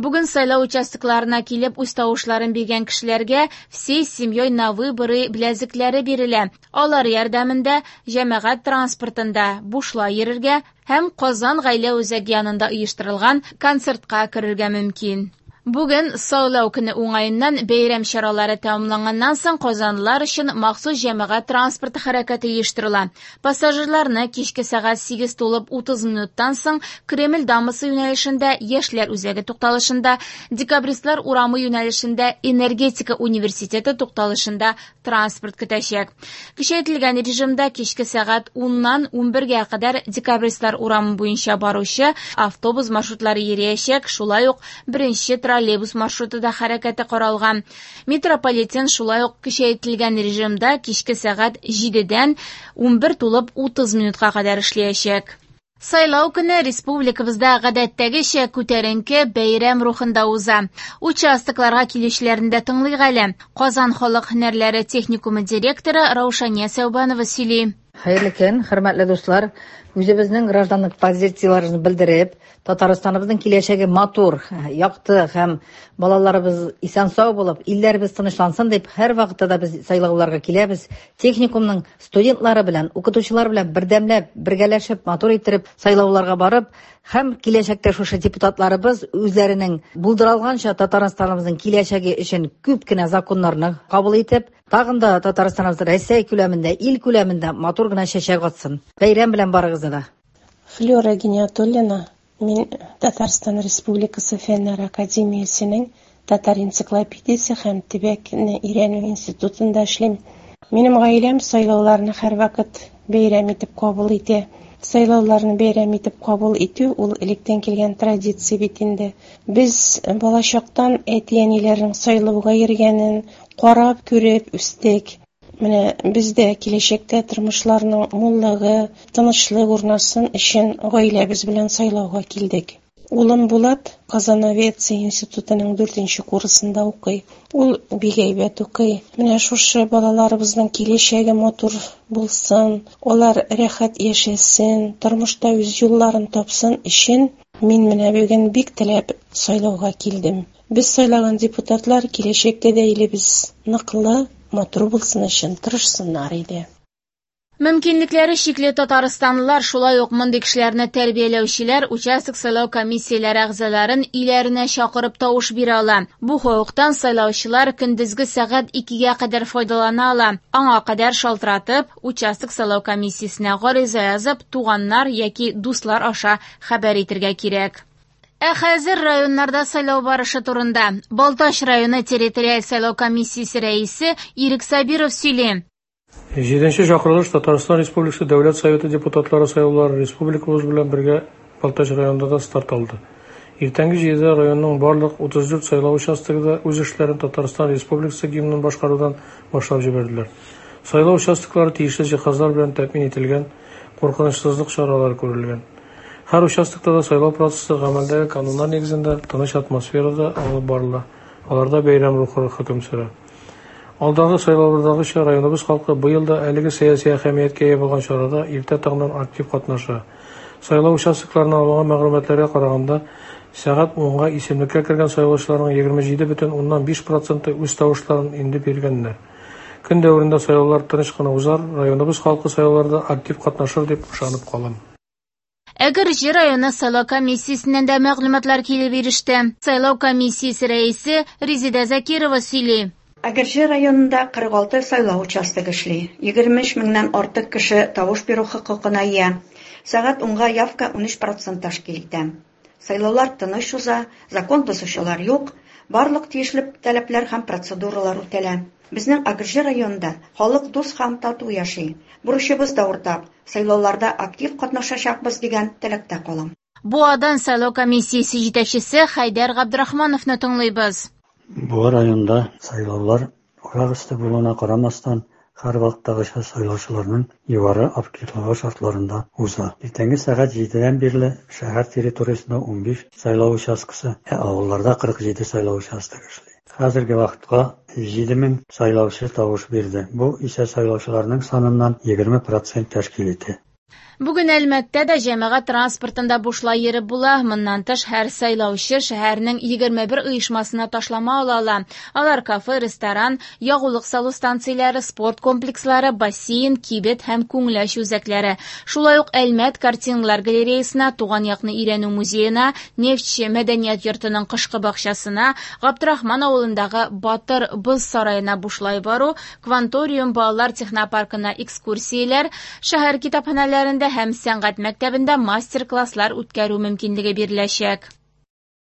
Бүген сайлау участокларына килеп үз тавышларын биргән кешеләргә «Всей семьей на выборы» беләзекләре бирелә. Алар ярдәмендә җәмәгать транспортында бушлай йөрергә һәм Казан гаилә үзәге янында оештырылган концертка керергә мөмкин. Бүген сайлау көне уңаеннан бәйрәм чаралары тәмамланганнан соң казанлылар өчен махсус җәмәгать транспорты хәрәкәте оештырыла. Пассажирларны кичке сәгать 8 тулып 30 минуттан соң Кремль дамбасы юнәлешендә Яшьләр үзәге тукталышында, Декабристлар урамы юнәлешендә Энергетика университеты тукталышында транспорт көтәчәк. Көчәйтелгән режимда кичке сәгать 10-нан 11-гә кадәр Декабристлар урамы буенча баручы автобус маршрутлары йөриячәк, шулай ук беренче троллейбус маршруты да хәрәкәте каралган. Метрополитен шулай ук көчәйтелгән режимда кичке сәгать 7-дән 11 тулып 30 минутка кадәр эшләячәк. Сайлау көне республикабызда гадәттәгечә күтәренке бәйрәм рухында уза. Участокларга килүчеләрне дә тыңлыйк әле. Казан халык һөнәрләре техникумы директоры Раушания Сәүбанова сөйли. Хәерле көн, хөрмәтле дуслар. Үзебезнең гражданлык позицияләребезне белдереп, Татарстаныбызның киләчәге матур, якты һәм балаларыбыз исән-сау булып, илләребез тынычлансын дип, һәрвакытта да без сайлауларга киләбез. Техникумның студентлары белән, укытучылар белән бердәмләп, бергәләшеп, матур иттереп сайлауларга барып, һәм киләчәктә шушы депутатларыбыз үзләренең булдыра алганча Татарстаныбызның киләчәге өчен күп кенә законнарны кабул итеп, тагын да Татарстаныбыз Рәсәй күләмендә, ил күләмендә матур гына чәчәк атсын. Бәйрәм белән барыгызны да! Флюра Гиниятуллина, Мин Татарстан Республикасы Фәннәр академиясенең Татар энциклопедиясе һәм төбәкне өйрәнү институтында эшлим. Минем гаиләм сайлауларны һәрвакыт бәйрәм итеп кабул итә. Сайлауларны бәйрәм итеп кабул итү ул электән килгән традиция бит инде. Без балачактан әти-әниләрнең сайлауга йөргәнен карап, күреп үстек. Менә без дә киләчәктә тормышларның муллыгы, тынычлык урнасын өчен гаиләбез белән сайлауга килдек. Улым Булат Казан авиация институтының дүртенче курсында укый. Ул бик әйбәт укый. Менә шушы балаларыбызның киләчәге матур булсын, алар рәхәт яшәсен, тормышта үз юлларын тапсын өчен мин менә бүген бик теләп сайлауга килдем. Без сайлаган депутатлар киләчәктә дә илебез ныклы, матур булсын өчен тырышсыннар иде. Мөмкинлекләре чикле татарстанлылар, шулай ук мондый кешеләрне тәрбияләүчеләр участок сайлау комиссияләре әгъзаларын өйләренә чакырып тавыш бирә ала. Бу хокуктан сайлаучылар көндезге сәгать 2-гә кадәр файдалана ала. Аңа кадәр шалтыратып, участок сайлау комиссиясенә гариза язып, туганнар яки дуслар аша хәбәр итергә кирәк. Ә хәзер районнарда сайлау барышы турында. Балтач районы территориаль сайлау комиссиясе рәисе Ирек Сабиров сөйли. Җиденче чакырылыш Татарстан Республикасы Дәүләт Советы депутатлары сайлаулары республикабыз белән бергә Балтач районында да старт алды. Иртәнге җидедә районның барлык 34 сайлау участогы да үз эшләрен Татарстан Республикасы гимнын башкарудан башлап җибәрделәр. Сайлау участоклары тиешле җиһазлар белән тәэмин ителгән, куркынычсызлык чаралары күрелгән. Һәр участокта да сайлау процессы гамәлдәге кануннар нигезендә, тыныч атмосферада алып барыла, аларда бәйрәм рухы хөкем сөрә. Алдагы сайлаулардагыча, районыбыз халкы быел да әлеге сәяси әһәмияткә ия булган чарада иртә таңнан актив катнаша. Сайлау участокларыннан алынган мәгълүматларга караганда, сәгать унга исемлеккә кергән сайлаучыларның 27,5 проценты үз тавышларын инде биргәннәр. Көн дәверендә сайлаулар тыныч кына узар, районыбыз халкы сайлауларда актив катнашыр дип ышанып калам. Әгерҗе районы сайлау комиссиясеннән дә мәгълүматлар килеп иреште. Сайлау комиссиясе рәисе Резеда Закирова сөйли. Әгерҗе районында 46 сайлау участогы эшли. 23 меңнән артык кеше тавыш бирү хокукына ия. Сәгать унга явка 13 процент тәшкил итә. Сайлаулар тыныч уза, закон бозучылар юк, барлык тиешле таләпләр һәм процедуралар үтәлә. Безнең Әгерҗе районында халык дус һәм тату яши. Бурычыбыз да уртак, сайлауларда актив катнашачакбыз дигән теләктә калам. Буадан сайлау комиссиясе җитәкчесе Хәйдәр Габдрахмановны тыңлыйбыз. Буа районында сайлаулар урак өсте булуына карамастан, һәрвакыттагыча сайлаучыларның югары активлыгы шартларында уза. Иртәнге сәгать җидедән бирле шәһәр территориясендә 15 сайлау участкасы, ә авылларда 47 сайлау участогы эшли. Хәзерге вакытка 7000 сайлаучы тавыш бирде, бу исә сайлаучыларның саныннан 20 процент тәшкил итә. Бүген Әлмәттә дә җәмәгать транспортында бушлай йөреп була. Моннан тыш, һәр сайлаучы шәһәрнең 21 оешмасына ташлама ала ала. Алар кафе, ресторан, ягулык салу станцияләре, спорт комплекслары, бассейн, кибет һәм күңел ачу үзәкләре. Шулай ук Әлмәт картиналар галереясына, туган якны өйрәнү музеена, Нефтьче мәдәният йортының кышкы бакчасына, Габдрахман авылындагы Батыр боз сараена бушлай бару, Кванториум балалар технопаркына экскурсияләр, шәһәр китапханәләрендә һәм сәнгать мәктәбендә мастер-класслар үткәрү мөмкинлеге биреләчәк.